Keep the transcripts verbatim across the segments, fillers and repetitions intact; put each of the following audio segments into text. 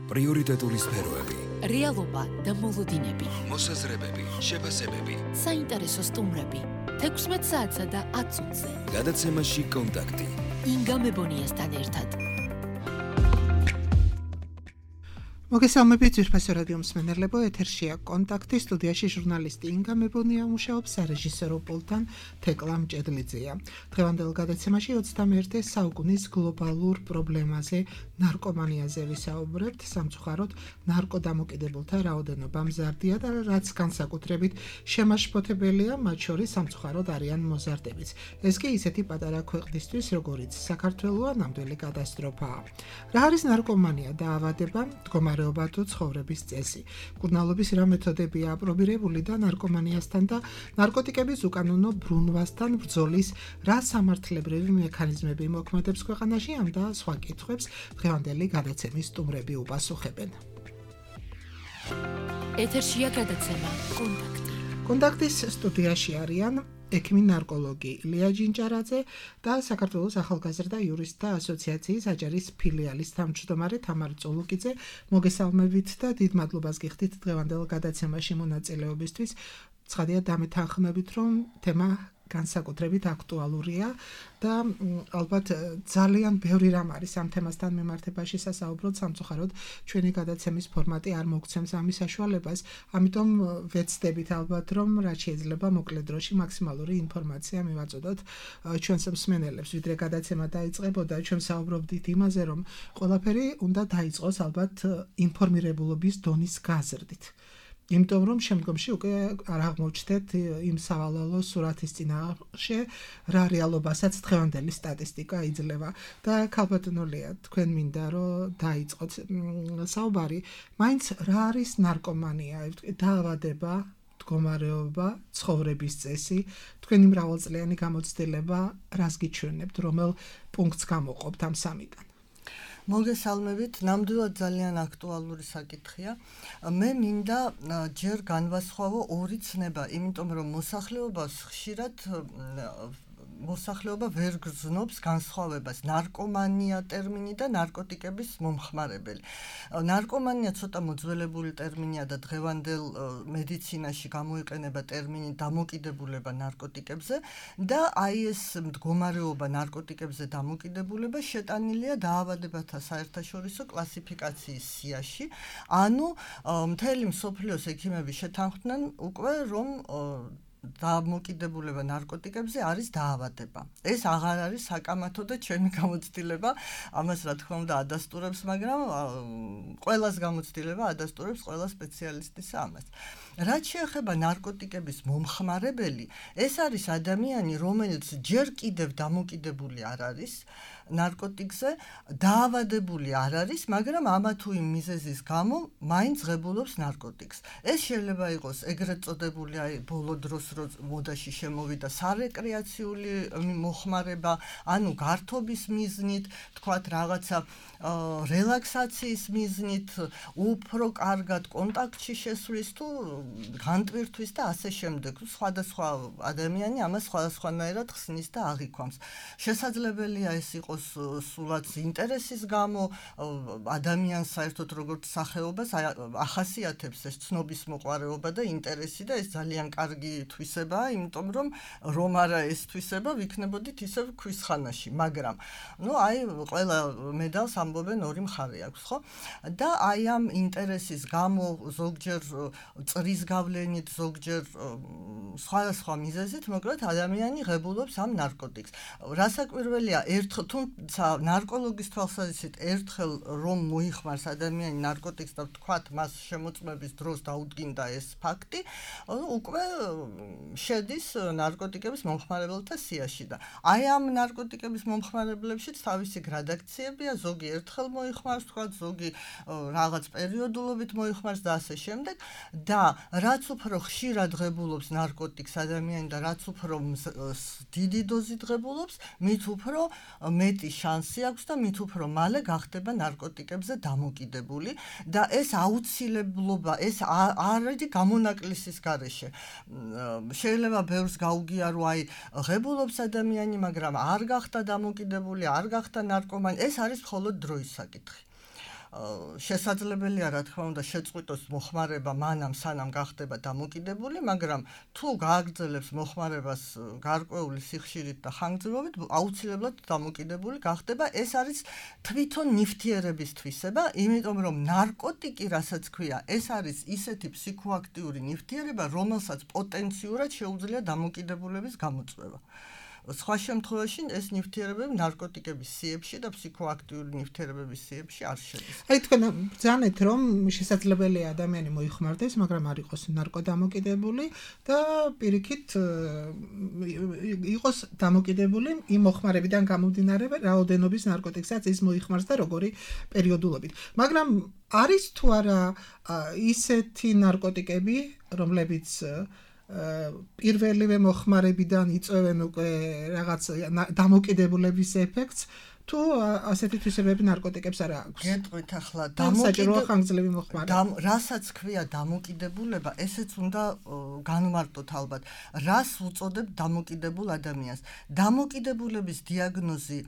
პრიორიტეტული სფეროები, რეალობა და მოლოდინები, მოსაზრებები, შეფასებები, საინტერესო სტუმრები, თექვსმეტ საათსა და ათ წუთზე. გადაცემაში კონტაქტი. ინგა მებონიასთან ერთად. მოგესალმებით ძვირფასო რადიო მსმენელებო, ეთერშია კონტაქტი, სტუდიაში ჟურნალისტი ინგა მებონია მუშაობს, სარეჟისორო პულტთან თეკლა მჭედლიძეა. დღევანდელ გადაცემაში ოცდამეერთე საუკუნის გლობალურ პრობლემაზე, ნარკომანიაზე ვისაუბრებთ, სამწუხაროდ ნარკოდამოკიდებულთა რაოდენობა მზარდია და რაც განსაკუთრებით შემაშფოთებელია, მათ შორის სამწუხაროდ არიან მოზარდებიც. ეს კი ისეთი პატარა ქვეყნისთვის, როგორიც საქართველოა, ნამდვილი კატასტროფაა. რა არის ნარკომანია და ავადება? მდგომარეობა თუ ცხოვრების წესი. მკურნალობის რა მეთოდებია აპრობირებული და ნარკომანიასთან და ნარკოტიკების უკანონო ბრუნვასთან ბრძოლის რა სამართლებრივი მექანიზმები მოქმედებს ქვეყანაში, ამ და სხვა კითხვებს დღევანდელი გადაცემის სტუმრები უპასუხებენ. ეთერშია გადაცემა კონტაქტი. კონტაქტის სტუდიაში არიან ექიმი ნარკოლოგი ილია ჯინჭარაძე და საქართველოს ახალგაზრდა იურისტთა ასოციაციის აჭარის ფილიალის თავმჯდომარე თამარ წოლუკიძე. მოგესალმებით და დიდ მადლობას გიხდით დღევანდელ გადაცემაში მონაწილეობისთვის. ცხადია დამეთანხმებით, რომ თემა განსაკუთრებით აქტუალურია და ალბათ ძალიან ბევრი რამ არის ამ თემასთან მიმართებაში სასაუბროთ, სამწუხაროდ ჩვენი გადაცემის ფორმატი არ მოგცემს ამის საშუალებას, ამიტომ ვეცდებით ალბათ, რომ რაც შეიძლება მოკლე დროში მაქსიმალური ინფორმაცია მივაწოდოთ ჩვენს მსმენელებს, ვიდრე გადაცემა დაიწყებოდა, ჩვენ საუბრობდით იმაზე, რომ ყველაფერი უნდა დაიწყოს ალბათ ინფორმირებულობის დონის გაზრდით. იმიტომ რომ შემდგომში უკვე არ აღმოჩნდეთ იმ სავალალო სურათის წინაშე რა რეალობასაც დღევანდელი სტატისტიკა იძლევა და ქალბატონოლია თქვენ მინდა რომ დაიწყოთ საუბარი მაინც რა არის ნარკომანია, დაავადება, მდგომარეობა, ცხოვრების წესი, თქვენი მრავალწლიანი გამოცდილება რას გიჩვენებთ, რომელ პუნქტს გამოყოფთ ამ სამიდან? მოგესალმებით, ნამდვილად ძალიან აქტუალური საკითხია. მე მინდა ჯერ განვასხვავო ორი ცნება, იმიტომ რომ მოსახლეობას ხშირად მოსახლეობა ვერ გრძნობს განსხვავებას ნარკომანია ტერმინი და ნარკოტიკების მომხმარებელი. ნარკომანია ცოტა მოძველებული ტერმინია და დღევანდელ მედიცინაში გამოიყენება ტერმინი დამოკიდებულება ნარკოტიკებზე და აი ეს მდგომარეობა ნარკოტიკებზე დამოკიდებულება შეტანილია დაავადებათა საერთაშორისო კლასიფიკაციის სიაში. ანუ მთელი მსოფლიოს ექიმები შეთანხმდნენ უკვე რომ დამოკიდებულება ნარკოტიკებზე არის დაავადება. ეს აღარ არის საკამათო და ჩემი გამოცდილება, ამას რა თქმა უნდა ადასტურებს, მაგრამ ყველას გამოცდილება ადასტურებს ყველა სპეციალისტის ამას. რაც შეეხება ნარკოტიკების მომხმარებელი, ეს არის ადამიანი, რომელიც ჯერ კიდევ დამოკიდებული არ არის ნარკოტიკზე, დაავადებული არ არის, მაგრამ ამა თუ იმ მიზეზის გამო მაინც ღებულობს ნარკოტიკს. ეს შეიძლება იყოს ეგრეთ წოდებული აი ბოლო დროს მოდაში შემოვიდა სარეკრეაციული მოხმარება, ანუ გართობის მიზნით, თქვათ რაღაცა რელაქსაციის მიზნით, უფრო კარგად კონტაქტში შესვლის თუ განტვირთვის და ასე შემდეგ. სხვადასხვა ადამიანი ამას სხვადასხვანაირად ხსნის და აღიქვამს. შესაძლებელია ეს იყოს სულაც ინტერესის გამო, ადამიანს საერთოდ როგორც სახეობას ახასიათებს ეს ცნობის მოყვარეობა და ინტერესი და ეს ძალიან კარგი თვისებაა, იმიტომ რომ რომ არა ეს თვისება, ვიქნებოდით ისევ ქვის ხანაში, მაგრამ ნუ აი ყველა მედალს ამბობენ ორი მხარე აქვს, ხო? და აი ამ ინტერესის გამო ზოგჯერ წრის გავლენით, ზოგჯერ სხვადასხვა მიზეზით, მოკლედ ადამიანი ღებულობს ამ ნარკოტიკს. რასაკვირველია, ერთხელ თუმცა ნარკოლოგის თვალსაზრისით ერთხელ რომ მოიხმარს ადამიანი ნარკოტიკს და თქვათ მას შემოწმების დროს დაუდგინდა ეს ფაქტი, უკვე შედის ნარკოტიკების მომხმარებელთა სიაში და აი ამ ნარკოტიკების მომხმარებლებშიც თავისი გრადაციებია, ზოგი ერთხელ მოიხმარს, თქვათ ზოგი რაღაც პერიოდულობით მოიხმარს და ასე შემდეგ და რაც უფრო ხშირად ღებულობს ნარკოტიკს ადამიანი და რაც უფრო დიდი დოზით ღებულობს, მით უფრო მეტი შანსი აქვს და მით უფრო მალე გახდება ნარკოტიკებზე დამოკიდებული და ეს აუცილებლობა, ეს არ არის გამონაკლისის გარეშე. შეიძლება ბევრს გაუგია რომ აი ღებულობს ადამიანი, მაგრამ არ გახდა დამოკიდებული, არ გახდა ნარკომანი, ეს არის მხოლოდ დროის საკითხი. შესაძლებელია რა თქმა უნდა შეწყვიტოს მოხმარება მანამ სანამ გახდება დამოკიდებული, მაგრამ თუ გააგრძელებს მოხმარებას გარკვეული სიხშირით და ხანგრძლივობით, აუცილებლად დამოკიდებული გახდება. ეს არის თვითონ ნივთიერების თვისება, იმიტომ რომ ნარკოტიკი, რასაც ქვია, ეს არის ისეთი ფსიქოაქტიური ნივთიერება, რომელსაც პოტენციურად შეუძლია დამოკიდებულების გამოწვევა. სხვა შემთხვევაში ეს ნივთიერებები ნარკოტიკების სიებში და ფსიქოაქტიური ნივთიერებების სიებში არ შედის. აი თქვენ ბრძანეთ რომ შესაძლებელია ადამიანი მოიხმარდეს, მაგრამ არ იყოს ნარკოდამოკიდებული და პირიქით იყოს დამოკიდებული იმ მოხმარებიდან გამომდინარე, რაოდენობის ნარკოტიკსაც ის მოიხმარს და როგორი პერიოდულობით. მაგრამ არის თუ არა ისეთი ნარკოტიკები, რომლებიც პირველივე მოხმარებიდან იწვევენ უკვე რაღაც დამოკიდებულების ეფექტს, თუ ასეთი თვისებები ნარკოტიკებს არ აქვს. გეტყვით ახლა დამოკიდებულება ხანგრძლივი მოხმარება. რასაც ქვია დამოკიდებულება, ესეც უნდა განვმარტოთ ალბათ. რას უწოდებ დამოკიდებულ ადამიანს? დამოკიდებულების დიაგნოზი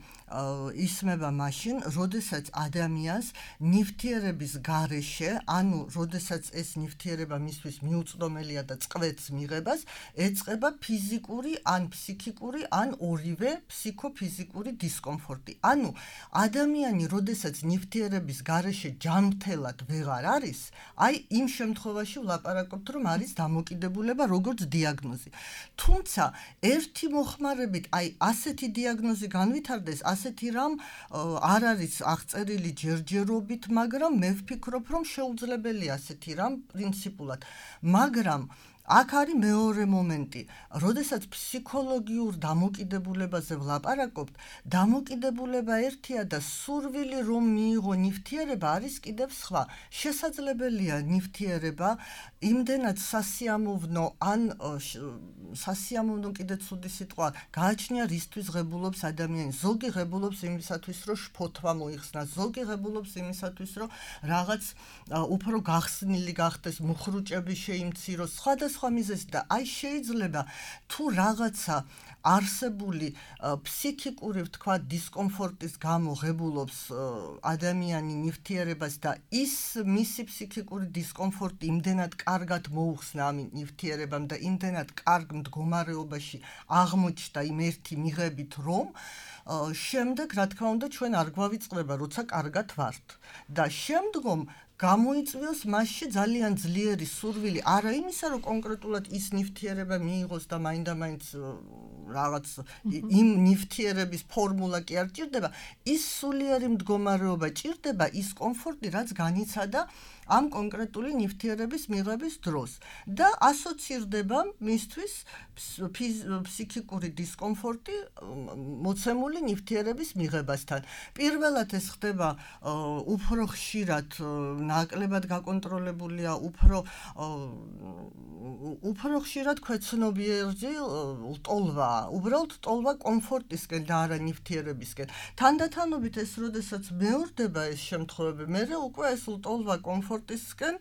ისმება მაშინ, როდესაც ადამიანს ნივთიერების გარეშე, ანუ როდესაც ეს ნივთიერება მისთვის მიუწვდომელია და წყვეტს მიღებას, ეწყება ფიზიკური ან ფსიქიკური ან ორივე ფსიქოფიზიკური დისკომფორტი. ანუ ადამიანი, როდესაც ნივთიერების გარეშე ჯანმრთელად ვეღარ არის, აი იმ შემთხვევაში ვლაპარაკობთ, რომ არის დამოკიდებულება როგორც დიაგნოზი. თუმცა ერთი მოხმარებით, აი ასეთი დიაგნოზი განვითარდეს, ასეთი რამ არ არის აღწერილი ჯერჯერობით, მაგრამ მე ვფიქრობ, რომ შეუძლებელია ასეთი რამ პრინციპულად. მაგრამ აქ არის მეორე მომენტი, როდესაც ფსიქოლოგიურ დამოკიდებულებაზე ვლაპარაკობთ, დამოკიდებულება ერთია და სურვილი რომ მიიღო ნივთიერება არის კიდევ სხვა. შესაძლებელია ნივთიერება იმდენად სასიამოვნო ან სასიამოვნო კიდე ცუდი სიტყვა, გააჩნია რისთვის ღებულობს ადამიანი. ზოგი ღებულობს იმისათვის, რომ შფოთვა მოიხსნას, ზოგი ღებულობს იმისათვის, რომ რაღაც უფრო გახსნილი გახდეს, მუხრუჭები შეიმციროს, სხვადასხვა მიზეზი და აი შეიძლება თუ რაღაცა არსებული ფსიქიკური ვთქვა დისკომფორტის გამო ღებულობს ადამიანი ნივთიერებას და ის მისი ფსიქიკური დისკომფორტი იმდენად კარგად მოუხსნა ამ ნივთიერებამ და იმდენად კარგ მდგომარეობაში აღმოჩნდა იმ ერთი მიღებით, რომ შემდეგ რა თქმა უნდა ჩვენ არ გვავიწყდება, როცა კარგად ვართ და შემდგომ გამოიწვიოს მასში ძალიან ძლიერი სურვილი, არა იმისა, რომ კონკრეტულად ის ნივთიერება მიიღოს და მაინდა-მაინც რაღაც იმ ნივთიერების ფორმულა კი არ ჭირდება, ის სულიერი მდგომარეობა ჭირდება, ის კომფორტი, რაც განიცადა ამ კონკრეტული ნივთიერების მიღების დროს და ასოცირდება მისთვის ფსიქიკური დისკომფორტი მოცემული ნივთიერების მიღებასთან. პირველად ეს ხდება უფრო ხშირად, ნაკლებად გაკონტროლებულია, უფრო უფრო ხშირად ქვეცნობიერი ლტოლვა, უბრალოდ ლტოლვა კომფორტისკენ და არა ნივთიერებისკენ. თანდათანობით ეს როდესაც მეორდება ეს შემთხვევები, მერე უკვე ეს ლტოლვა კომფორტისკენ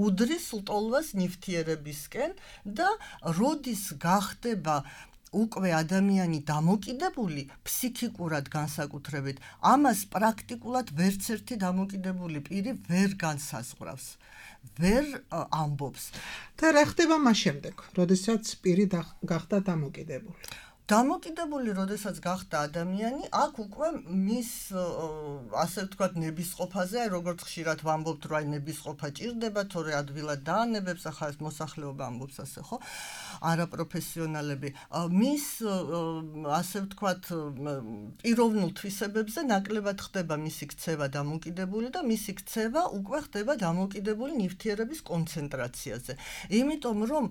უდრის ლტოლვას ნივთიერებისკენ და როდის გახდება უკვე ადამიანი დამოკიდებული ფსიქიკურად განსაკუთრებით, ამას პრაქტიკულად ვერც ერთი დამოკიდებული პირი ვერ განსაზღვრავს, ვერ ამბობს. და რა ხდება მას შემდეგ, როდესაც პირი გახდა დამოკიდებული? დამოკიდებული, როდესაც გახდა ადამიანი, აქ უკვე მის ასე ვთქვათ ნებისყოფაზე, აი როგორც ხშირად ვამბობთ, რომ აი ნებისყოფა ჭირდება, თორე ადვილად დაანებებს, ახლა ეს მოსახლეობა ამბობს ასე, ხო? არაპროფესიონალები. მის ასე ვთქვათ პიროვნულ თვისებებზე ნაკლებად ხდება მისი ქცევა დამოკიდებული და მისი ქცევა უკვე ხდება დამოკიდებული ნივთიერების კონცენტრაციაზე. იმიტომ რომ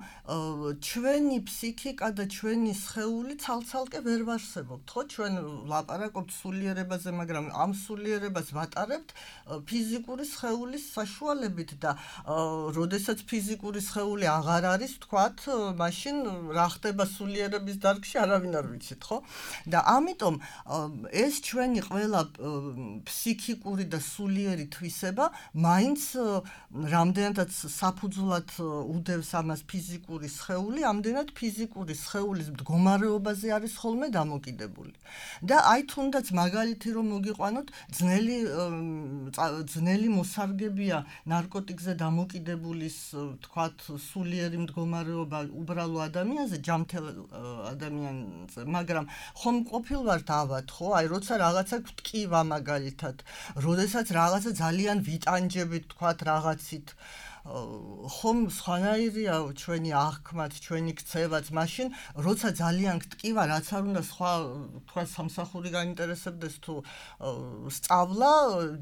ჩვენი ფსიქიკა და ჩვენი სხეული ცალ-ცალკე ვერ ვარსებობთ, ხო? ჩვენ ვლაპარაკობთ სულიერებაზე, მაგრამ ამ სულიერებას ვატარებთ ფიზიკური სხეულის საშუალებით და როდესაც ფიზიკური სხეული აღარ არის, ვთქვათ, მაშინ რა ხდება სულიერების დარგში, არავინ არ ვიცით, ხო? და ამიტომ ეს ჩვენი ყველა ფსიქიკური და სულიერი თვისება მაინც რამდენადაც საფუძვლად უდევს ამას ფიზიკური სხეული, ამდენად ფიზიკური სხეულის მდგომარეობას ფაზაზე არის ხოლმე დამოკიდებული. და აი თუნდაც მაგალითი რომ მოგიყვანოთ, ძნელი ძნელი მოსარგებია ნარკოტიკზე დამოკიდებულის, თქვათ, სულიერი მდგომარეობა უბრალო ადამიანზე, ჯამთელ ადამიანზე, მაგრამ ხომ ყოფილვართ ავად, ხო? აი როცა რაღაცა გვტკივა მაგალითად, როდესაც რაღაცა ძალიან ვიტანჯებით, თქვათ, რაღაცით ხომ სხვანაირია ჩვენი აღქმაც, ჩვენი ქცევაც, მაშინ როცა ძალიან გტკივა, რაც არ უნდა სხვა თქვა სამსახური გაინტერესებდეს თუ სწავლა,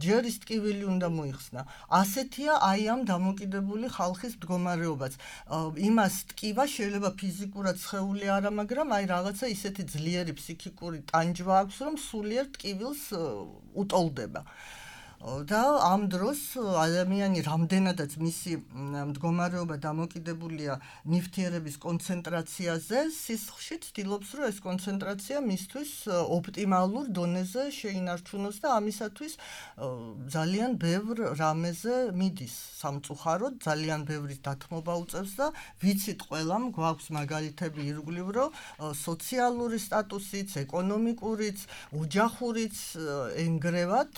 ჯერ ის ტკივილი უნდა მოიხსნა. ასეთია აი ამ დამოკიდებული ხალხის მდგომარეობაც. იმას ტკივა შეიძლება ფიზიკურად სხეული არა, მაგრამ აი რაღაცა ისეთი ძლიერი ფსიქიკური ტანჯვა აქვს, რომ სულიერ ტკივილს უტოლდება. და ამ დროს ადამიანი რამდენადაც მისი მდგომარეობა დამოკიდებულია ნივთიერების კონცენტრაციაზე, სისხლში ცდილობს, რომ ეს კონცენტრაცია მისთვის ოპტიმალურ დონეზე შეინარჩუნოს და ამისათვის ძალიან ბევრ რამეზე მიდის სამწუხაროდ, ძალიან ბევრი დათმობა უწევს და ვიცით ყველამ გვაქვს მაგალითები ირგვლივ, რომ სოციალური სტატუსიც, ეკონომიკურიც, ოჯახურიც ენგრევად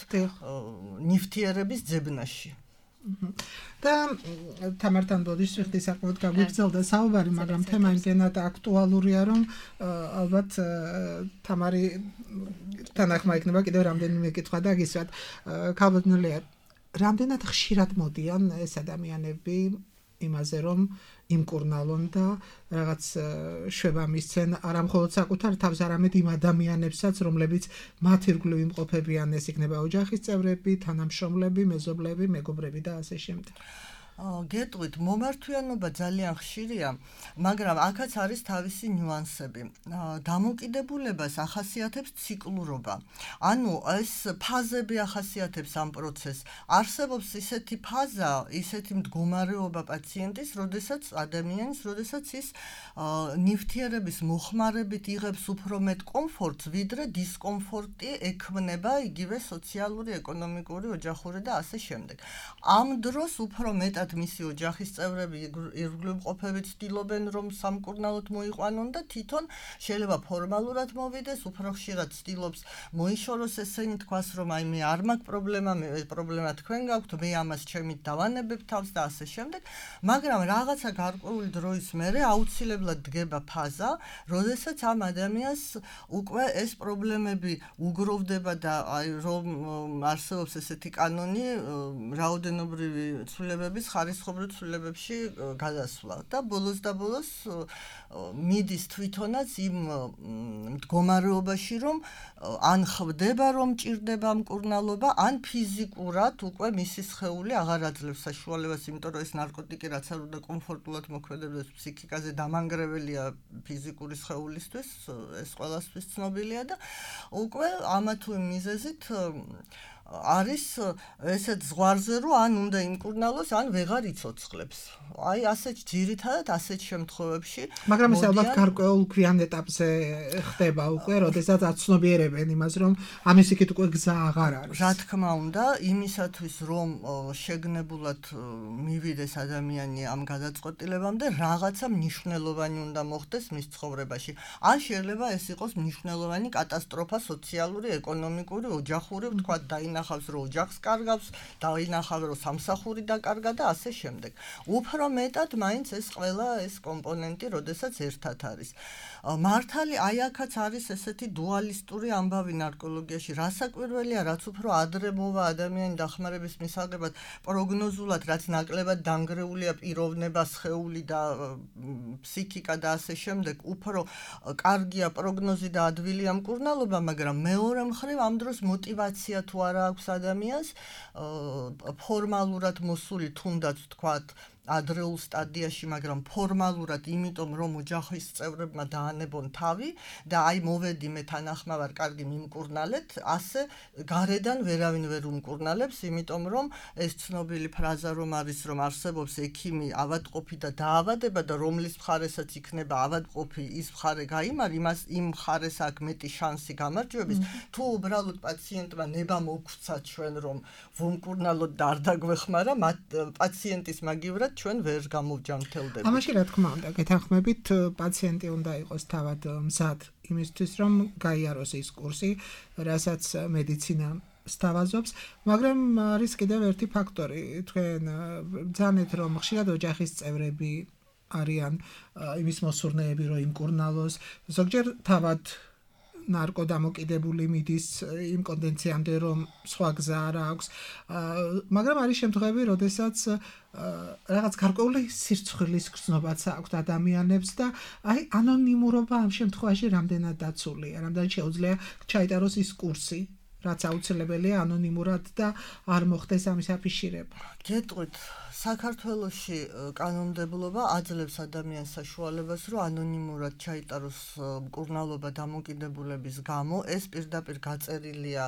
ნივთიერების ძებნაში. და თამართან ბოდიშ ვიხდი საკმაოდ გაგვიგრძელდა საუბარი, მაგრამ თემა იმდენად აქტუალურია, რომ ალბათ თამარი თანახმა იქნება კიდევ რამდენიმე კითხვა დაგისვათ. ქალბატონელია, რამდენად ხშირად მოდიან ეს ადამიანები იმაზე, რომ იმკურნალონ და რაღაც შვება მისცენ არა მხოლოდ საკუთარ თავს, არამედ იმ ადამიანებსაც, რომლებიც მათ ირგვლივ იმყოფებიან, ეს იქნება ოჯახის წევრები, თანამშრომლები, მეზობლები, მეგობრები და ასე შემდეგ. გეტყვით, მომართვიანობა ძალიან ხშირია, მაგრამ აქაც არის თავისი ნიუანსები. დამოკიდებულებას ახასიათებს ციკლურობა. ანუ ეს ფაზები ახასიათებს ამ პროცესს. არსებობს ისეთი ფაზა, ისეთი მდგომარეობა პაციენტის, როდესაც ადამიანის, როდესაც ის ნივთიერების მოხმარებით იღებს უფრო მეტ კომფორტს, ვიდრე დისკომფორტი ექმნება იგივე სოციალური, ეკონომიკური, ოჯახური და ასე შემდეგ. ამ დროს უფრო მეტად მისი ოჯახის წევრები ირგვლივ მყოფები ცდილობენ, რომ სამკურნალოდ მოიყვანონ და თვითონ შეიძლება ფორმალურად მოვიდეს, უფრო ხშირად ცდილობს მოიშოროს, ესენი თქვას, რომ აი მე არ მაქვს პრობლემა, მე პრობლემა თქვენ გაქვთ, მე ამას ჩემით დავანებებ თავს და ასე შემდეგ, მაგრამ რაღაცა გარკვეული დროის მერე აუცილებლად დგება ფაზა, როდესაც ამ ადამიანს უკვე ეს პრობლემები უგროვდება და აი რომ არსებობს ესეთი კანონი რაოდენობრივი ცვლილებების ხარისხობრივ ცვლილებებში გადასვლა და ბოლოს და ბოლოს მიდის თვითონაც იმ მდგომარეობაში, რომ ან ხვდება, რომ ჭირდება მკურნალობა, ან ფიზიკურად უკვე მისი სხეული აღარ აძლევს საშუალებას, იმიტომ რომ ეს ნარკოტიკი რაც არ უნდა კომფორტულად მოქმედებდეს ფსიქიკაზე, დამანგრეველია ფიზიკური სხეულისთვის, ეს ყველასთვის ცნობილია და უკვე ამა თუ იმ მიზეზით არის ესეთ ზღვარზე, რომ ან უნდა იმკურნალოს, ან ვეღარ იცოცხლებს. აი ასეთ ძირითადად ასეთ შემთხვევებში, მაგრამ ეს ალბათ გარკვეულ ქვიან ეტაპზე ხდება უკვე, როდესაც აცნობიერებენ იმას, რომ ამის იქით უკვე გზა აღარ არის. რა თქმა უნდა, იმისათვის, რომ შეგნებულად მივიდეს ადამიანი ამ გადაწყვეტილებამდე, რაღაცა მნიშვნელოვანი უნდა მოხდეს მის ცხოვრებაში. ან შეიძლება ეს იყოს მნიშვნელოვანი კატასტროფა სოციალური, ეკონომიკური, ოჯახური, ვთქვათ, დაინახავს, რომ ოჯახს კარგავს, დაინახავს, რომ სამსახური დაკარგა და ასე შემდეგ. უფრო მეტად მაინც ეს ყველა ეს კომპონენტი, როდესაც ერთად არის. მართალი აი აქაც არის ესეთი დუალისტური ამბავი ნარკოლოგიაში. რასაკვირველია, რაც უფრო ადრე მოვა ადამიანი დახმარების მისაღებად პროგნოზულად, რაც ნაკლებად დანგრეულია პიროვნება, სხეული და ფსიქიკა და ასე შემდეგ, უფრო კარგია პროგნოზი და ადვილია მკურნალობა, მაგრამ მეორე მხრივ ამ დროს мотиваცია თუ არა აქვს ადამიანს ფორმალურად მოსული თუნდაც თქვათ ადრეულ სტადიაში, მაგრამ ფორმალურად, იმიტომ რომ ოჯახის წევრებმა დაანებონ თავი და აი მოვედი მე თანახმავარ, კარგი მიმკურნალეთ, ასე გარედან ვერავინ ვერ უმკურნალებს, იმიტომ რომ ეს ცნობილი ფრაზა რომ არის, რომ არსებობს ექიმი ავადმყოფი და დაავადება და რომლის მხარესაც იქნება ავადმყოფი, ის მხარე გაიმარ, იმას იმ მხარეს აქვს მეტი შანსი გამარჯვების, თუ უბრალოდ პაციენტმა ნება მოგცვა ჩვენ რომ ვუმკურნალოთ და არ დაგვეხმარა, პაციენტის მაგივრად ჩვენ ვერ გამოვჯანმრთელდებით. ამაში რა თქმა უნდა, გეთანხმებით, პაციენტი უნდა იყოს თავად მზად იმისთვის რომ გაიაროს ის კურსი, რასაც მედიცინა სთავაზობს, მაგრამ არის კიდევ ერთი ფაქტორი, თქვენ ბრძანეთ რომ ხშირად ოჯახის წევრები არიან იმის მოსურნეები რომ იმკურნალოს, ზოგჯერ თავად ნარკოდამოკიდებული მიდის იმ კონდენციამდე რომ სხვა გზა არ აქვს, მაგრამ არის შემთხვევები, როდესაც რაღაც გარკვეული სირცხვილის გრძნობაც აქვს ადამიანებს და აი ანონიმურობა ამ შემთხვევაში რამდენად დაცულია, რამდენად შეუძლია ჩაიტაროს ის კურსი, რაც აუცილებელია ანონიმურად და არ მოხდეს ამის აფიშირება. გეტყვით, საქართველოში კანონმდებლობა აძლევს ადამიანს საშუალებას, რომ ანონიმურად ჩაიტაროს მკურნალობა დამოკიდებულების გამო, ეს პირდაპირ გაწერილია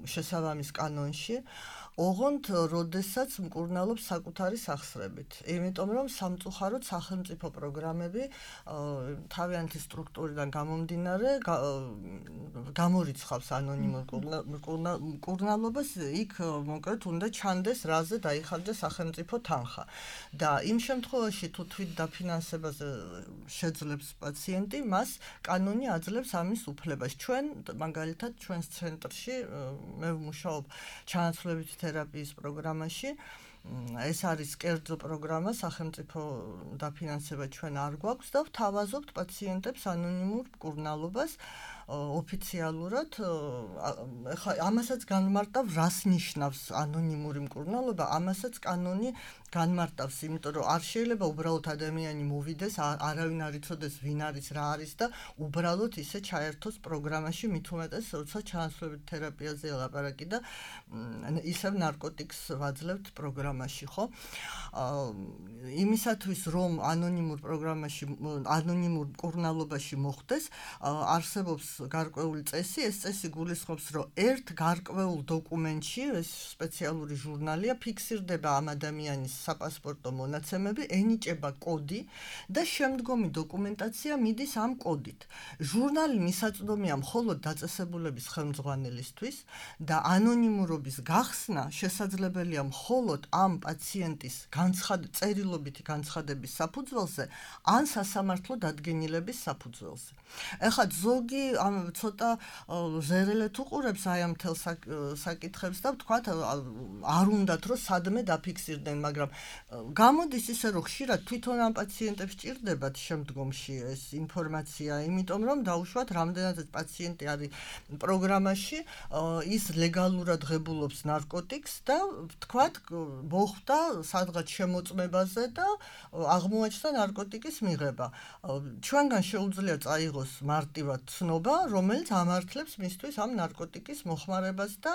შესაბამის კანონში. ოღონდ, როდესაც მკურნალობს საკუთარი სახსრებით. იმიტომ რომ სამწუხაროდ სახელმწიფო პროგრამები თავიანთი სტრუქტურიდან გამომდინარე გამორიცხავს ანონიმურ მკურნალობას, იქ მოკლედ უნდა ჩანდეს, რაზე დაიხარჯა სახელმწიფო თანხა. და იმ შემთხვევაში თუ თვით დაფინანსებაზე შეძლებს პაციენტი, მას კანონი აძლევს ამის უფლებას. ჩვენ მაგალითად ჩვენს ცენტრში მე ვმუშაობ ჩანაცვლებით თერაპიის პროგრამაში. ეს არის კერძო პროგრამა, სახელმწიფო დაფინანსება ჩვენ არ გვაქვს და ვთავაზობთ პაციენტებს ანონიმურ მკურნალობას ოფიციალურად. ახლა ამასაც განმარტავ, რას ნიშნავს ანონიმური მკურნალობა, ამასაც კანონი განმარტავს, იმიტომ რომ არ შეიძლება უბრალოდ ადამიანი მოვიდეს, არავინ არ იცოდეს ვინ არის, რა არის და უბრალოდ ისე ჩაერთოს პროგრამაში, მით უმეტეს, როცა ჩანაცვლებით თერაპიაზეა ლაპარაკი და ისევ ნარკოტიკს ვაძლევთ პროგრამაში, ხო? იმისათვის, რომ ანონიმურ პროგრამაში, ანონიმურ მკურნალობაში მოხდეს, არსებობს გარკვეული წესი, ეს წესი გულისხმობს, რომ ერთ გარკვეულ დოკუმენტში, ეს სპეციალური ჟურნალია, ფიქსირდება ამ ადამიანის საპასპორტო მონაცემები, ენიჭება კოდი და შემდგომი დოკუმენტაცია მიდის ამ კოდით. ჟურნალი მისაწვდომია მხოლოდ დაწესებულების ხელმძღვანელისთვის და ანონიმურობის გახსნა შესაძლებელია მხოლოდ ამ პაციენტის წერილობითი განცხადების საფუძველზე ან სასამართლო დადგენილების საფუძველზე. ეხლა ზოგი ამ ცოტა ზერელეთ უყურებს აი ამ თელ საკითხებს და ვთქვათ არ უნდათ რომ სადმე დაფიქსირდნენ, მაგრამ გამოდის ისე რომ ხშირად თვითონ ამ პაციენტებს ჭირდებათ შემდგომში ეს ინფორმაცია, იმიტომ რომ დაუშვათ რამდენადაც პაციენტი არის პროგრამაში, ის ლეგალურად ღებულობს ნარკოტიკს და ვთქვათ მოხდა სადღაც შემოწმებაზე და აღმოაჩნდა ნარკოტიკის მიღება. ჩვენგან შეუძლია წაიღოს მარტივად ცნობა, რომელიც ამართლებს მისთვის ამ ნარკოტიკის მოხმარებას და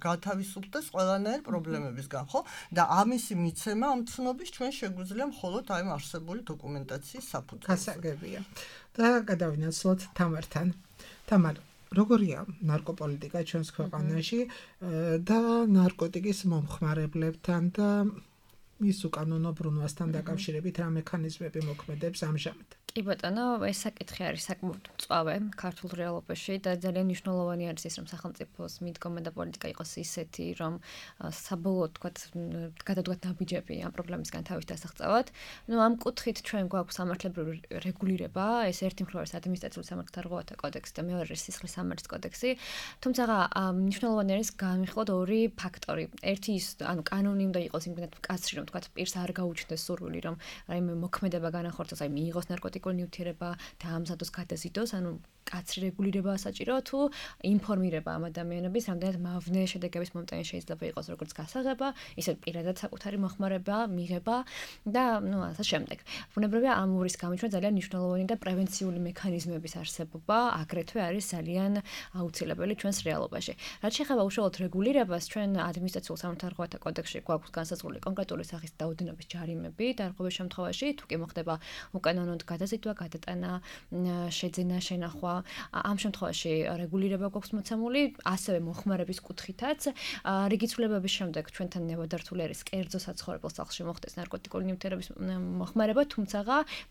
გათავისუფლდეს ყველანაირ პრობლემებისგან, ხო? და ამისი მიცემა ამ ცნობის ჩვენ შეგვიძლია მხოლოდ აი არსებული დოკუმენტაციის საფუძველზე. გასაგებია. და გადავინაცვლოთ თამართან. თამარ, როგორია ნარკოპოლიტიკა ჩვენს ქვეყანაში და ნარკოტიკის მომხმარებლებთან და მის უკანონო ბრუნვასთან დაკავშირებით რა მექანიზმები მოქმედებს ამჟამად? კი ბატონო, ეს საკითხი არის საკმაოდ მწვავე ქართულ რეალობაში და ძალიან მნიშვნელოვანი არის ის, რომ სახელმწიფოს მიდგომა და პოლიტიკა იყოს ისეთი, რომ საბოლოოდ თქვათ გადადგათ ნაბიჯები ამ პრობლემისგან თავის დასაღწევად. ნუ ამ კუთხით ჩვენ გვაქვს სამართლებრივი რეგულირება, ეს ერთი მხრივ არის ადმინისტრაციული სამართალთა რღვევათა კოდექსი და მეორე არის სისხლის სამართლის კოდექსი. თუმცა მნიშვნელოვანი არის განვიხილოთ ორი ფაქტორი. ერთი ის, ანუ კანონი უნდა იყოს იმდენად მკაცრი, რომ თქვათ პირს არ გაუჩნდეს სურვილი, რომ რაიმე მოქმედება განახორციელოს, აი მიიღოს ნარკოტიკული ნივთიერება და ამზადოს გადაზიდოს, ანუ კაცრი რეგულირებაა საჭირო თუ ინფორმირება ამ ადამიანების, რამდენად მავნე შედეგების მომტანი შეიძლება იყოს როგორც გასაღება, ისე პირადად საკუთარი მოხმარება, მიღება და ნუ ასე შემდეგ. ბუნებრივია ამ ორის გამიჩნდა ძალიან მნიშვნელოვანი და პრევენციული მექანიზმების არსებობა, აგრეთვე არის ძალიან აუცილებელი ჩვენს რეალობაში. რაც შეეხება უშუალოდ რეგულირებას, ჩვენ ადმინისტრაციულ სამართალთა რღვევათა კოდექსში გვაქვს განსაზღვრული კონკრეტული სახის დაუდენობის ჯარიმები და რღვევის შემთხვევაში თუ კი მოხდება უკანონოდ გადაზიდვა, გადატანა, შეძენა, შენახვა, ამ შემთხვევაში რეგულირება გვაქვს მოცემული, ასევე მოხმარების კუთხითაც. რიგი ცვლილებების შემდეგ ჩვენთან ნებადართული არის კერძო საცხოვრებელ სახლში მოხდეს ნარკოტიკული ნივთიერების მოხმარება, თუმცა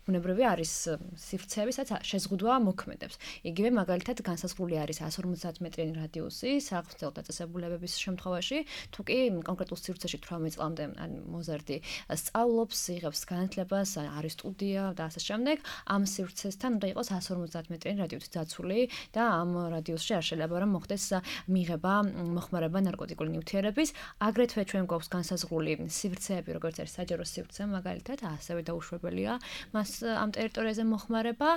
ბუნებრივია არის სივრცეები, სადაც შეზღუდვა მოქმედებს. იგივე მაგალითად განსაზღვრული არის εκατს ორმოცდაათ მეტრიანი რადიუსი საღვთო დაწესებულებების შემთხვევაში, თუ კი კონკრეტულ სივრცეში თვრამეტ წლამდე მოზარდი სწავლობს, იღებს განათლებას, არის სტუდია და ასე შემდეგ, ამ სივრცესთან უნდა იყოს one fifty მეტრიანი რადიუსით დაცული და ამ რადიუსში არ შეიძლება რომ მოხდეს მიღება, მოხმარება ნარკოტიკული ნივთიერების. აგრეთვე ჩვენ გვაქვს განსაზღვრული სივრცეები, როგორც არის საჯარო სივრცე მაგალითად, ასევე დაუშვებელია მას ამ ტერიტორიაზე მოხმარება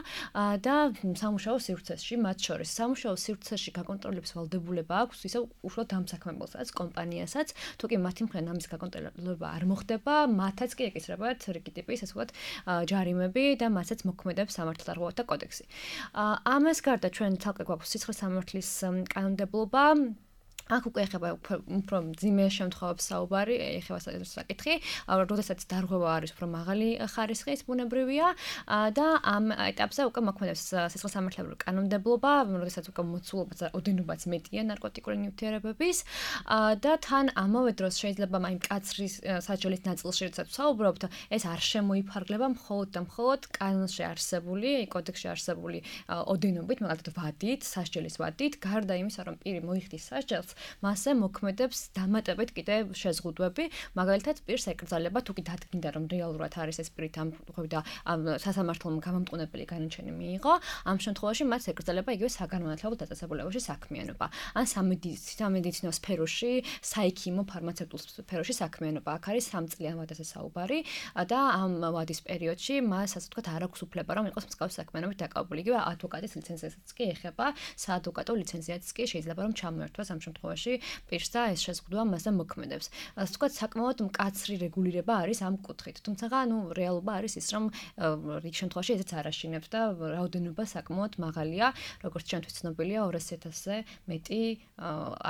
და სამუშაო სივრცეში, მათ შორის სამუშაო სივრცეში გაკონტროლების ვალდებულება აქვს ისევ უშუალოდ დამსაქმებელსაც, კომპანიასაც, თუ კი მათი მხრიდან ამის გაკონტროლება არ მოხდება, მათაც კი ეკისრებათ რიგი ტიპის ასე ვთქვათ ჯარიმები და მათაც მოქმედებს სამართალდარღვევათა კოდექსი. ამას გარდა ჩვენ თალკე გვაქვს სიცხლის სამართლის კანონმდებლობა. აქ უკვე ეხება უფრო მძიმე შემთხვევებს საუბარი, ეხება საკითხი, როდესაც დარღვევა არის უფრო მაღალი ხარისხის, ბუნებრივია და ამ ეტაპზე უკვე მოქმედებს სიცხლის სამართლებრივი კანონმდებლობა, როდესაც უკვე მოცულობაც ოდენობაც მეტია ნარკოტიკული ნივთიერებების და თან ამავე დროს შეიძლება აი მკაცრი საჯელის ნაწილში, როდესაც საუბრობთ, ეს არ შემოიფარგლება მხოლოდ და მხოლოდ კანონში არსებული, კოდექსში არსებული ოდენობით, მაგალითად ვადით, სასჯელის ვადით, გარდა იმისა, რომ პირი მოიხდის სასჯელს, მასზე მოქმედებს დამატებით კიდე შეზღუდვები, მაგალითად პირს ეკრძალება თუ კი დადგინდა რომ რეალურად არის ეს პირით ამ ხვდა სასამართლომ გამამტყუნებელი განაჩენი მიიღო, ამ შემთხვევაში მას ეკრძალება იგივე საგანმანათლებლო დაწესებულებაში საქმიანობა. ან სამედიცინო სფეროში, საიქიმო ფარმაცევტულ სფეროში საქმიანობა. აქ არის სამწლიან ვადაზე საუბარი და ამ ვადის პერიოდში მას ასე ვთქვათ არ აქვს უფლება რომ იყოს მსგავსი საქმიანობით დაკავებული. იგივე ადვოკატის ლიცენზიასაც კი ეხება, საადვოკატო ლიცენზიაც კი შეიძლება რომ ჩამოერთვას ამ შემთხვევაში პირს და ეს შეზღუდვა მასზე მოქმედებს. ასე ვთქვათ, საკმაოდ მკაცრი რეგულირება არის ამ კუთხით. თუმცა, ნუ რეალობა არის ის, რომ რიგ შემთხვევაში ესეც არ აშინებს და რაოდენობა საკმაოდ მაღალია, როგორც ჩვენთვის ცნობილია, ორასი ათასზე მეტი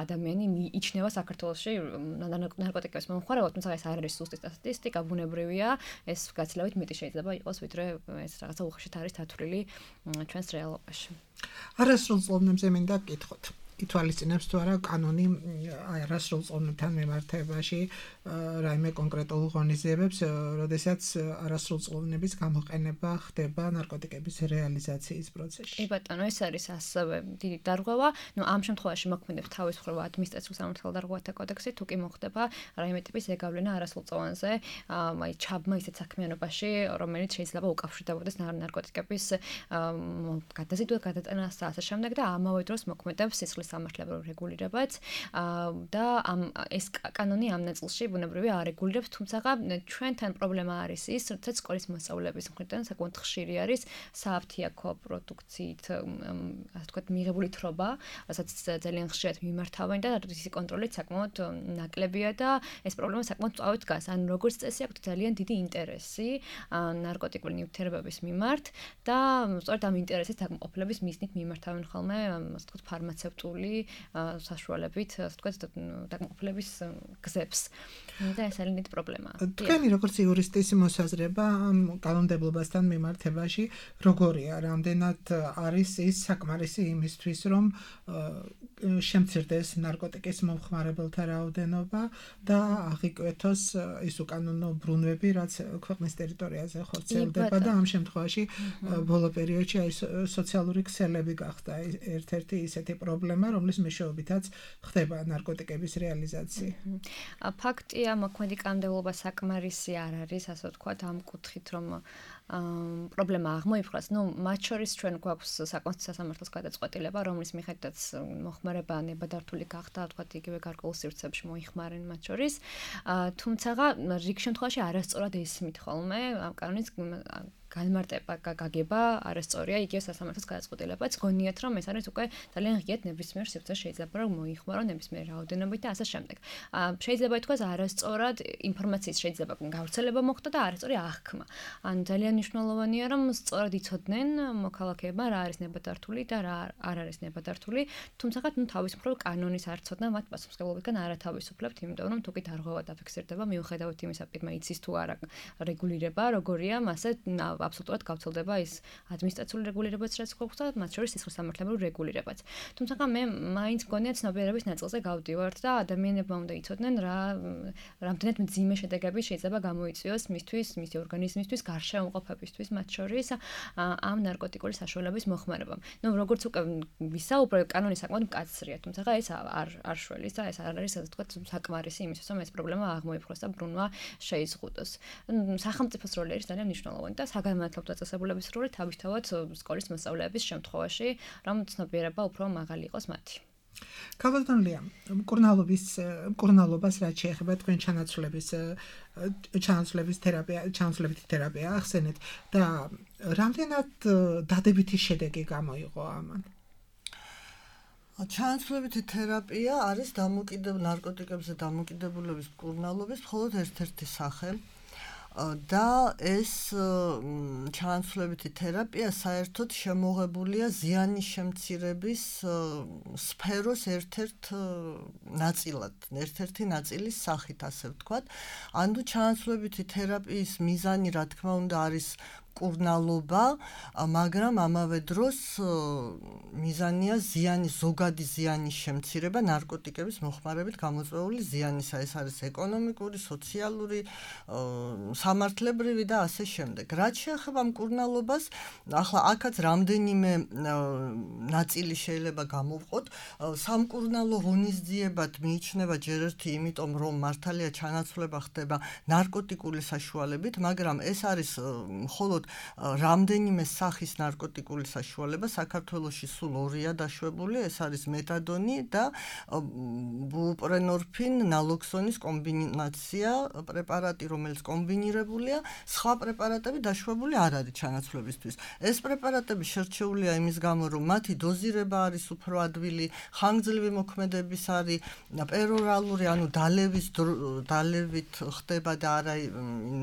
ადამიანი მიიჩნევა საქართველოში ნარკოტიკების მომხმარებლად, თუმცა ეს არ არის სუსტი სტატისტიკა, ბუნებრივია, ეს გაცილებით მეტი შეიძლება იყოს, ვიდრე ეს რაღაცა უხეშად არის დათვლილი ჩვენს რეალობაში. არასრულ წლოვნებზე მინდა გკითხოთ. ითვალისწინებს თუ არა კანონი არასრულ წლოვნებთან მიმართებაში რაიმე კონკრეტულ ღონისძიებებს, როდესაც არასრულ წლოვნების გამოყენება ხდება ნარკოტიკების რეალიზაციის პროცესში. კი ბატონო, ეს არის ასევე დიდი დარღვევა. ნუ ამ შემთხვევაში მოქმედებს თავისუფლება ადმინისტრაციულ სამართალდარღვევათა კოდექსი, თუ კი მოხდება რაიმე ტიპის ეგავლენა არასრულ წლოვანზე, აი ჩაბმა ისეთ საქმიანობაში, რომელიც შეიძლება უკავშირდებოდეს ნარკოტიკების გადაზიდვა, გადატანა და ასე შემდეგ და ამავე დროს მოქმედებს სისხლის სამართლებრივ რეგულირებაც და ამ ეს კანონი ამ ნაწილში ბუნებრივია არ რეგულირებს, თუმცა ჩვენთან პრობლემა არის ის, როდესაც სკოლის მოსწავლეების მხრიდან საკმაოდ ხშირი არის სააფთიაქო პროდუქციით, ასე ვთქვათ, მიღებული თრობა, რასაც ძალიან ხშირად მიმართავენ და რისი კონტროლით საკმაოდ ნაკლებია და ეს პრობლემა საკმაოდ წავით დგას. ან როგორც წესი აქვს ძალიან დიდი ინტერესი ნარკოტიკული ნივთიერებების მიმართ და სწორედ ამ ინტერესის დაკმაყოფილების მიზნით მიმართავენ ხოლმე, ასე ვთქვათ, ფარმაცევტული საშუალებით, ასე ვთქვათ, დაკმაყოფილების გზებს. და ეს არის დიდი პრობლემაა. თქვენი როგორც იურისტის მოსაზრება ამ კანონმდებლობასთან მიმართებაში როგორია? რამდენად არის ის საკმარისი იმისთვის, რომ შემცირდეს ნარკოტიკის მომხმარებელთა რაოდენობა და აღიკვეთოს ის უკანონო ბრუნვები, რაც ქვეყნის ტერიტორიაზე ხორციელდება და ამ შემთხვევაში ბოლო პერიოდში აი სოციალური ქსელები გახდა ერთ-ერთი ისეთი პრობლემა, რომლის მეშვეობითაც ხდება ნარკოტიკების რეალიზაცია. ფაქტია, მოქმედი კანონმდებლობა საკმარისი არ არის, ასე ვთქვათ, ამ კუთხით, რომ პრობლემა აღმოიფხვრას. ნუ მათ შორის ჩვენ გვაქვს საკონსტიტუციო სასამართლოს გადაწყვეტილება, რომლის მიხედვითაც მოხმარება ნებადართული გახდა, ვთქვათ, იგივე გარკვეულ სივრცეებში მოიხმარენ მათ შორის. თუმცა რიგ შემთხვევაში არასწორად ესმით ხოლმე ამ კანონის განმარტება გაგება არასწორია, იგივე სასამართლოს გადაწყვეტილებაც გონიათ, რომ ეს არის უკვე ძალიან ღიად ნებისმიერ სივრცეში შეიძლება რომ მოიხმარო ნებისმიერ რაოდენობით და ასე შემდეგ. შეიძლება ითქვას არასწორად ინფორმაციის შეიძლება გავრცელება მოხდა და არასწორი აღქმა. ან ძალიან მნიშვნელოვანია რომ სწორად იცოდნენ მოქალაქეებმა რა არის ნებადართული და რა არ არის ნებადართული, თუმცა ნუ თავისუფლად კანონის არ ცოდნა მათ პასუხისმგებლობისგან არათავისუფლებთ, იმიტომ რომ თუ კი დარღვევა დაფიქსირდება მიუხედავად იმისა, პირმა იცის თუ არა რეგულირება, როგორია, მასე აბსოლუტურად გავრცელდება ის ადმინისტრაციული რეგულირებაც, რაც გვაქვს და მათ შორის სისხლის სამართლებრივი რეგულირებაც. თუმცა მე მაინც მგონია ცნობიერების ნაწილზე გავდივართ და ადამიანებმა უნდა იცოდნენ რა რამდენად მძიმე შედეგები შეიძლება გამოიწვიოს მისთვის, მისი ორგანიზმისთვის, გარშემოყოფებისთვის მათ შორის ამ ნარკოტიკული საშუალების მოხმარებამ. ნუ როგორც უკვე ვისაუბრე, კანონი საკმაოდ მკაცრია, თუმცა ეს არ არ შველის და ეს არ არის ასე ვთქვათ საკმარისი იმისთვის, რომ ეს პრობლემა აღმოიფხვრას და ბრუნვა შეიზღუდოს. სახელმწიფოს როლი არის ძალიან მნიშვნელოვანი და საგანმანათლებლო გამართლობ დაწესებულების სრული თავისთავად სკოლის მოსწავლეების შემთხვევაში, რომ ცნობიერება უფრო მაღალი იყოს მათი. ქალბატონია, მკურნალობის მკურნალობას რაც შეეხება თქვენ ჩანაცვლების ჩანაცვლების თერაპია, ჩანაცვლებითი თერაპია ახსენეთ და რამდენად დადებითი შედეგი გამოიღო ამან? ჩანაცვლებითი თერაპია არის დამოკიდებული ნარკოტიკებზე დამოკიდებულების მკურნალობის მხოლოდ ერთ-ერთი სახე. და ეს ჩანაცვლებითი თერაპია საერთოდ შემოღებულია ზიანის შემცირების სფეროს ერთ-ერთ ნაწილად, ერთ-ერთი ნაწილის სახით, ასე ვთქვათ. ანუ ჩანაცვლებითი თერაპიის მიზანი, რა თქმა უნდა, არის მკურნალობა, მაგრამ ამავე დროს მიზანია ზიანის, ზოგადი ზიანის შემცირება ნარკოტიკების მოხმარებით გამოწვეული ზიანისა. ეს არის ეკონომიკური, სოციალური, სამართლებრივი და ასე შემდეგ. რაც შეეხება მკურნალობას, ახლა აქაც რამდენიმე ნაწილი შეიძლება გამოვყოთ. სამკურნალო ღონისძიებად მიიჩნევა ჯერ ერთი, იმიტომ რომ მართალია ჩანაცვლება ხდება ნარკოტიკული საშუალებით, მაგრამ ეს არის მხოლოდ რამდენიმე სახის ნარკოტიკული საშუალება. საქართველოში სულ ორია დაშვებული, ეს არის მეტადონი და ბუპრენორფინ ნალოქსონის კომბინაცია პრეპარატი, რომელიც კომბინირებულია, სხვა პრეპარატები დაშვებული არ არის ჩანაცვლებისთვის. ეს პრეპარატები შერჩეულია იმის გამო, რომ მათი დოზირება არის უფრო ადვილი, ხანგრძლივი მოქმედების არის, პერორალური, ანუ დალევის დალევით ხდება და არა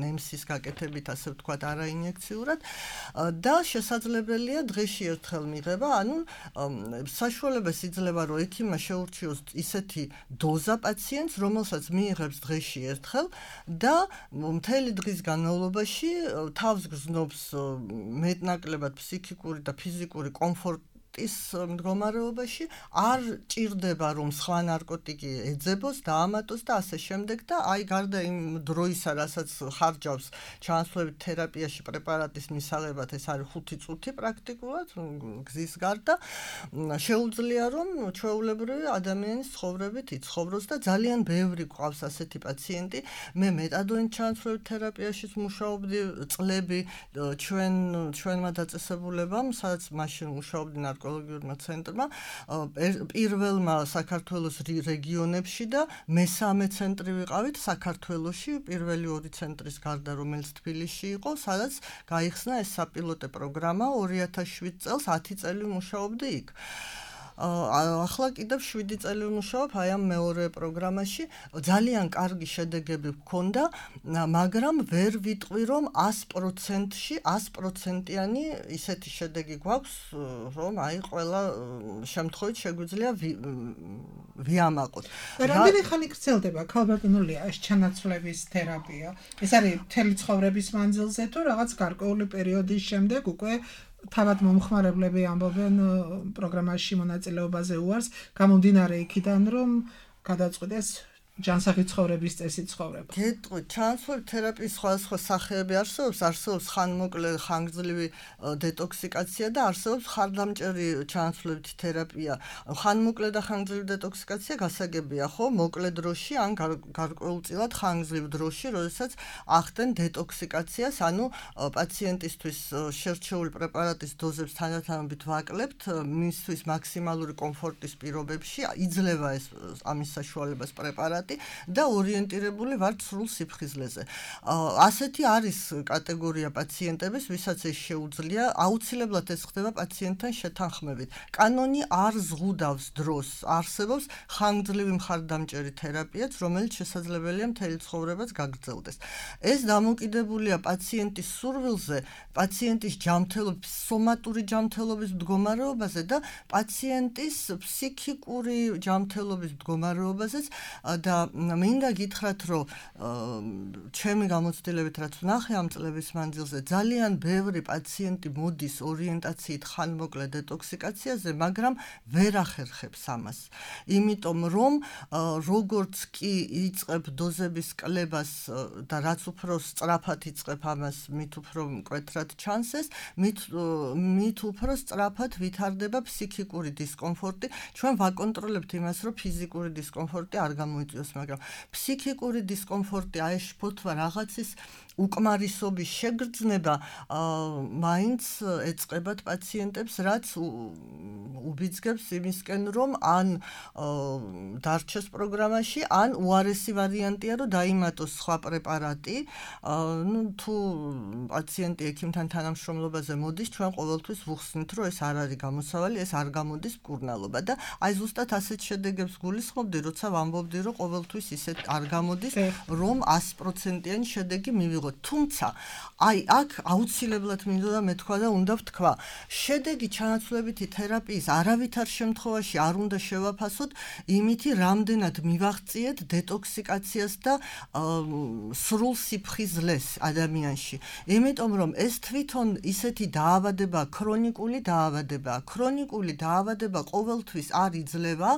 ნემსის გაკეთებით, ასე ვთქვათ, არა ინიექციურად და შესაძლებელია დღეში ერთხელ მიღება, ანუ საშუალებას იძლევა, რომ ექიმმა შეურჩიოს ისეთი დოზა პაციენტს, რომელსაც მიიღებს დღეში ერთხელ და მთელი დღის განმავლობაში თავს გრძნობს მეტნაკლებად ფსიქიკური და ფიზიკური კომფორტი ის მდგომარეობაში არ ჭირდება რომ სხვა ნარკოტიკი ეძებოს და ამატოს და ასე შემდეგ და აი გარდა იმ დროისა რასაც ხარჯავს ჩანაცვლებით თერაპიაში პრეპარატის მისაღებად ეს არის ხუთი წუთი პრაქტიკულად გზის გარდა შეუძლია რომ ჩვეულებრივი ადამიანის ცხოვრებით იცხოვროს და ძალიან ბევრი გვყავს ასეთი პაციენტი მე მეტადონის ჩანაცვლებით თერაპიაშიც მუშაობდი წლები ჩვენ ჩვენმა დაწესებულებამ სადაც მაშინ მუშაობდი ეკოლოგიურმა ცენტრმა პირველმა საქართველოს რეგიონებში და მესამე ცენტრი ვიყავით საქართველოში პირველი ორი ცენტრის გარდა რომელიც თბილისში იყო სადაც გაიხსნა ეს საპილოტე პროგრამა ორი ათას შვიდ წელს ათი წელი მუშაობდი იქ ახლა კიდევ შვიდი წელი ვმუშაობ აი ამ მეორე პროგრამაში ძალიან კარგი შედეგები გქონდა მაგრამ ვერ ვიტყვი რომ ას პროცენტში ას პროცენტიანი ისეთი შედეგი გვაქვს რომ აი ყველა შემთხვევით შეგვიძლია ვიამაყოთ რამდენი ხანი გრძელდება ქალბატონულია ეს ჩანაცვლების თერაპია ეს არის მთელი ცხოვრების მანძილზე თუ რაღაც გარკვეული პერიოდის შემდეგ უკვე თავად მომხმარებლები ამბობენ პროგრამაში მონაწილეობაზე უარს გამომდინარე იქიდან რომ გადაწყვეტეს ჯანსაღი ცხოვრების წესი ცხოვრება. გეტყვით, ჩანაცვლებით თერაპიის სხვადასხვა სახეები არსებობს, არსებობს ხანმოკლე ხანგრძლივი დეტოქსიკაცია და არსებობს ხარდამჭერი ჩანაცვლებითი თერაპია. ხანმოკლე და ხანგრძლივი დეტოქსიკაცია გასაგებია, ხო, მოკლე დროში ან გარკვეულწილად ხანგრძლივ დროში, როდესაც ახდენ დეტოქსიკაციას, ანუ პაციენტისთვის შერჩეული პრეპარატის დოზებს თანდათანობით ვაკლებთ, მისთვის მაქსიმალური კომფორტის პირობებში იძლევა ეს ამის საშუალებას პრეპარატი და ორიენტირებული ვართ სრულ სიფხიზლეზე. ასეთი არის კატეგორია პაციენტების, ვისაც ეს შეუძლია, აუცილებლად ეს ხდება პაციენტთან შეთანხმებით. კანონი არ ზღუდავს დროს, არსებობს ხანგრძლივი მხარდამჭერი თერაპიაც, რომელიც შესაძლებელია მთელი ცხოვრებაც გაგრძელდეს. ეს დამოკიდებულია პაციენტის სურვილზე, პაციენტის ჯანმრთელობის, სომატური ჯანმრთელობის მდგომარეობაზე და პაციენტის ფსიქიკური ჯანმრთელობის მდგომარეობაზეც და მინდა გითხრათ, რომ ჩემი გამოცდილებით რაც ვნახე ამ წლების მანძილზე, ძალიან ბევრი პაციენტი მოდის ორიენტაციით ხანმოკლე დეტოქსიკაციაზე, მაგრამ ვერ ახერხებს ამას. იმიტომ რომ როგორც კი იწყებ დოზების კლებას და რაც უფრო სწრაფად იწყებ ამას, მით უფრო მკვეთრად ჩანს ეს, მით მით უფრო სწრაფად ვითარდება ფსიქიკური დისკომფორტი. ჩვენ ვაკონტროლებთ იმას, რომ ფიზიკური დისკომფორტი არ გამოიწვიოს იწევს, მაგრამ ფსიქიკური დისკომფორტი, აი შფოთვა რაღაცის უკმარისობის შეგრძნება მაინც ეწყებათ პაციენტებს, რაც უბიძგებს იმისკენ, რომ ან დარჩეს პროგრამაში, ან უარესი ვარიანტია, რომ დაიმატოს სხვა პრეპარატი. ნუ თუ პაციენტი ექიმთან თანამშრომლობაზე მოდის, ჩვენ ყოველთვის ვუხსნით, რომ ეს არ არის გამოსავალი, ეს არ გამოდის მკურნალობა და აი ზუსტად ასეთ შედეგებს გულისხმობდი, როცა ვამბობდი, რომ ყოველთვის ისეთ არ გამოდის, რომ ას პროცენტიანი შედეგი მივიღოთ. თუმცა აი აქ აუცილებლად მინდოდა მეთქვა და უნდა ვთქვა, შედეგი ჩანაცვლებითი თერაპიის არავითარ შემთხვევაში არ უნდა შევაფასოთ იმითი, რამდენად მივაღწიეთ დეტოქსიკაციას და სრულ სიფხიზლეს ადამიანში. იმიტომ რომ ეს თვითონ ისეთი დაავადება, ქრონიკული დაავადება, ქრონიკული დაავადება ყოველთვის არ იძლევა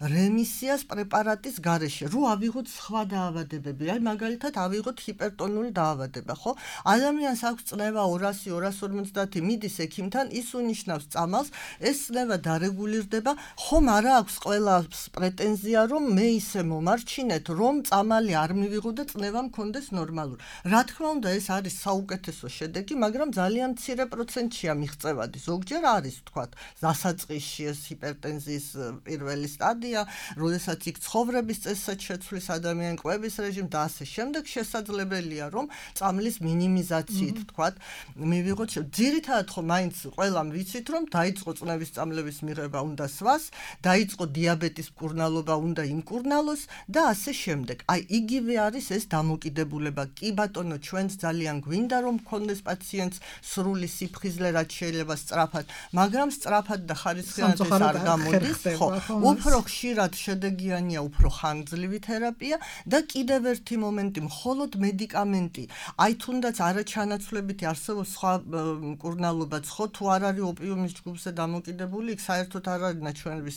რემისიას პრეპარატის გარეშე. რო ავიღოთ სხვა დაავადებები, აი მაგალითად ავიღოთ ჰიპერტონული დაავადება, ხო? ადამიანს აქვს წნევა ორასი ორას ორმოცდაათი, მიდის ექიმთან, ის უნიშნავს წამალს, ეს წნევა დარეგულირდება, ხომ არა აქვს ყველას პრეტენზია, რომ მე ისე მომარჩინეთ, რომ წამალი არ მივიღო და წნევა მქონდეს ნორმალური. რა თქმა უნდა, ეს არის საუკეთესო შედეგი, მაგრამ ძალიან მცირე პროცენტია მიღწევადი. ზოგჯერ არის, თქვათ, დასაწყისში ეს ჰიპერტენზიის პირველი სტადია, როდესაც იქ ცხოვრების წესსაც შეცვლის ადამიანი, კვების რეჟიმი და ასე შემდეგ, შესაძლებელია, რომ წამლის მინიმიზაციით, თქვათ, მივიღოთ. ძირითადად ხო მაინც ყველამ ვიცით, რომ დაიწყო წნევის წამლების მიღება უნდა სვას, დაიწყო დიაბეტის მკურნალობა უნდა იმკურნალოს და ასე შემდეგ. აი იგივე არის ეს დამოკიდებულება. კი ბატონო, ჩვენც ძალიან გვინდა რომ მქონდეს პაციენტს სრული სიფხიზლე, რაც შეიძლება სწრაფად, მაგრამ სწრაფად და ხარისხიანად ეს არ გამოდის, ხო. უფრო ხშირად შედეგიანია უფრო ხანგრძლივი თერაპია და კიდევ ერთი მომენტი, მხოლოდ მედიკამენტი. აი თუნდაც არაჩანაცვლებითი არსებობს სხვა მკურნალობაც, ხო, თუ არ არის ოპიუმის ჯგუფზე დამოკიდებული, იქ საერთოდ არ არის ნაჩვენების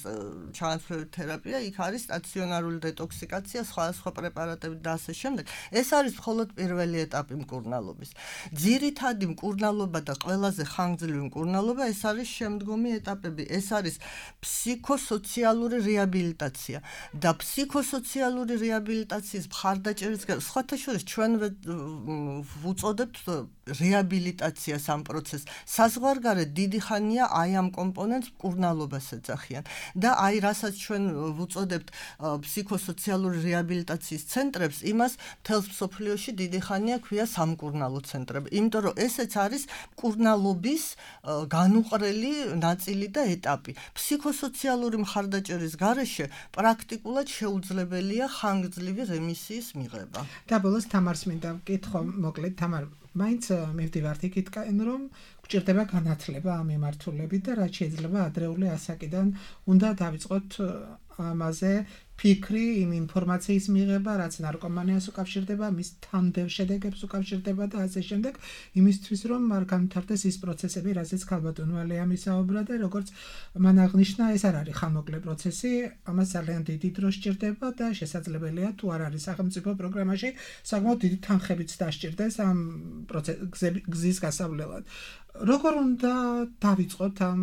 ჩანაცვლებით თერაპია, იქ არის სტაციონარული დეტოქსიკაცია, სხვადასხვა პრეპარატები და ასე შემდეგ. ეს არის მხოლოდ პირველი ეტაპი მკურნალობის. ძირითადი მკურნალობა და ყველაზე ხანგრძლივი მკურნალობა ეს არის შემდგომი ეტაპები. ეს არის ფსიქოსოციალური რეაბილიტაცია და ფსიქოსოციალური რეაბილიტაციის მხარდაჭერის სხვათა შორის ჩვენ ვუწოდებთ რეაბილიტაციას ამ პროცესს. საზღვარგარეთ დიდი ხანია აი ამ კომპონენტს მკურნალობას ეძახიან და აი რასაც ჩვენ ვუწოდებთ ფსიქოსოციალური რეაბილიტაციის ცენტრებს, იმას მთელს მსოფლიოში დიდი ხანია ქვია სამკურნალო ცენტრები. იმიტომ რომ ესეც არის მკურნალობის განუყრელი ნაწილი და ეტაპი. ფსიქოსოციალური მხარდაჭერის გარეშე პრაქტიკულად შეუძლებელია ხანგრძლივი რემისიის მიღება. და ბოლოს თამარს მინდა ვკითხო, მოკლედ თამარ, მაინც მივდივართ იქითკენ, რომ გვჭირდება განათლება ამ მიმართულებით და რაც შეიძლება ადრეული ასაკიდან უნდა დავიწყოთ ამაზე ფიქრი, იმ ინფორმაციის მიღება, რაც ნარკომანიას უკავშირდება, მის თანმდევ შედეგებს უკავშირდება და ასე შემდეგ, იმისთვის რომ არ განვითარდეს ის პროცესები, რაზეც ქალბატონო ალია მისაუბრა და როგორც მან აღნიშნა, ეს არ არის ხანმოკლე პროცესი, ამას ძალიან დიდი დრო სჭირდება და შესაძლებელია თუ არ არის სახელმწიფო პროგრამაში, საკმაოდ დიდი თანხებიც დასჭირდეს ამ გზის გასავლელად. როგორ უნდა დავიწყოთ ამ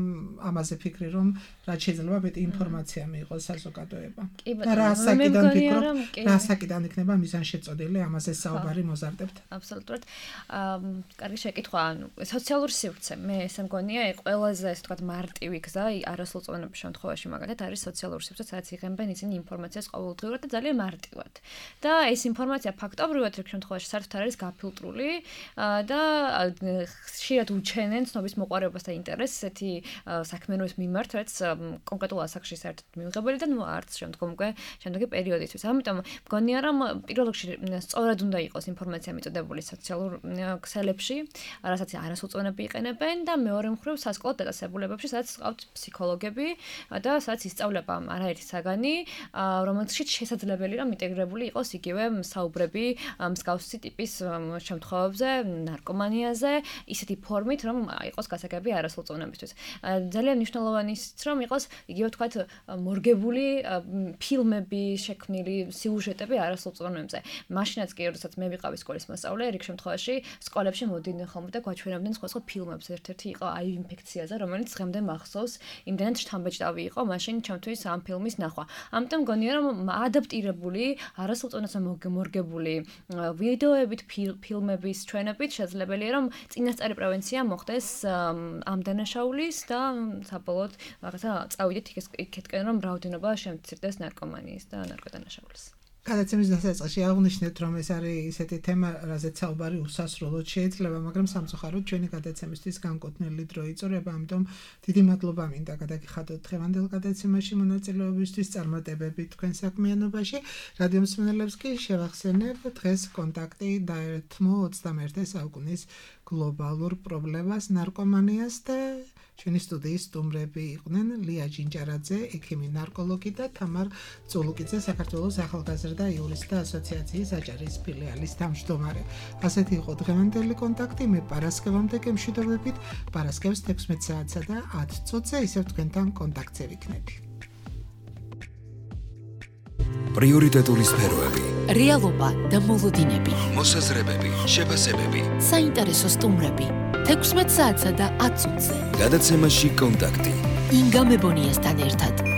ამაზე ფიქრი, რომ რაც შეიძლება მეტი ინფორმაცია მიიღოს საზოგადოება. და რა საკიდან ფიქრობ, რა საკიდან იქნება მიზანშეწოდილი ამაზე საუბარი მოზარდებთ. აბსოლუტურად. კარგი შეკითხვა, ანუ სოციალური სივრცე, მე ესე მგონია, ყველაზე ასე ვთქვათ მარტივი გზა არასრულწლოვნების შემთხვევაში მაგალითად არის სოციალური სივრცე, სადაც იღებენ ისინი ინფორმაციას ყოველდღიურად და ძალიან მარტივად. და ეს ინფორმაცია ფაქტობრივად ერთ შემთხვევაში საერთოდ არ არის გაფილტრული და ხშირად უჩენენ ცნობის მოყვარეობას და ინტერესს ესეთი საქმიანობის მიმართ, რაც კონკრეტულ ასაკში საერთოდ მიუღებელი და ნუ არც შემდგომ უკვე შემდეგი პერიოდისთვის. ამიტომ მგონია, რომ პირველ რიგში სწორად უნდა იყოს ინფორმაცია მიწოდებული სოციალურ ქსელებში, რასაც არასრულწლოვნები იყენებენ და მეორე მხრივ სასკოლო დაწესებულებებში, სადაც ყავთ ფსიქოლოგები და სადაც ისწავლება არაერთი საგანი, რომელშიც შესაძლებელი რომ ინტეგრირებული იყოს იგივე საუბრები მსგავსი ტიპის შემთხვევებზე, ნარკომანიაზე, ისეთი ფორმით, რომ რომ იყოს გასაგები არასრულ წონებისთვის. ძალიან მნიშვნელოვანია რომ იყოს იგივე თქვათ მორგებული ფილმები შექმნილი სიუჟეტები არასრულ წონებზე. მაშინაც კი როდესაც მე ვიყავი სკოლის მოსწავლე, რიგ შემთხვევაში სკოლებში მოდიდნენ ხოლმე და გვაჩვენებდნენ სხვა სხვა ფილმებს. ერთ-ერთი იყო აი ინფექციაზე, რომელიც დღემდე მახსოვს, იმდენად შთამბეჭდავი იყო მაშინ ჩემთვის ამ ფილმის ნახვა. ამიტომ გონია რომ ადაპტირებული, არასრულ წონასა მორგებული ვიდეოებით, ფილმების ჩვენებით შესაძლებელია რომ წინასწარი პრევენცია მოხდეს ამ დანაშაულის და საბოლოოდ რაღაცა წავიდეთ იქეთკენ რომ რაოდენობა შემცირდეს ნარკომანიის და ნარკოდანაშაულის. გადაცემის დასაწყისში აღნიშნეთ, რომ ეს არის ისეთი თემა, რაზეც საუბარი უსასრულოდ შეიძლება, მაგრამ სამწუხაროდ ჩვენი გადაცემისთვის განკუთვნილი დრო იწურება, ამიტომ დიდი მადლობა მინდა გადაგიხადოთ დღევანდელ გადაცემაში მონაწილეობისთვის, წარმატებები თქვენ საქმიანობაში. რადიო მსმენელებს კი შევახსენებ დღეს კონტაქტი დაერთმო ოცდამეერთე საუკუნის გლობალურ პრობლემას ნარკომანიას და ჩვენი სტუდიის სტუმრები იყვნენ ლია ჯინჯარაძე, ექიმი ნარკოლოგი და თამარ წულუკიძე, საქართველოს ახალგაზრდა იურისტთა ასოციაციის აჭარის ფილიალის თავმჯდომარე. ასეთი იყო დღევანდელი კონტაქტი, მე პარასკევამდე გემშვიდობებით, პარასკევს თექვსმეტ საათსა და ათ წუთზე ისევ თქვენთან კონტაქტზე ვიქნები. პრიორიტეტული სფეროები, რეალობა და მოლოდინები, მოსაზრებები, შეფასებები, საინტერესო სტუმრები, თექვსმეტ საათსა და ათ წუთზე. გადაცემაში კონტაქტი. ინგა მებონიასთან ერთად.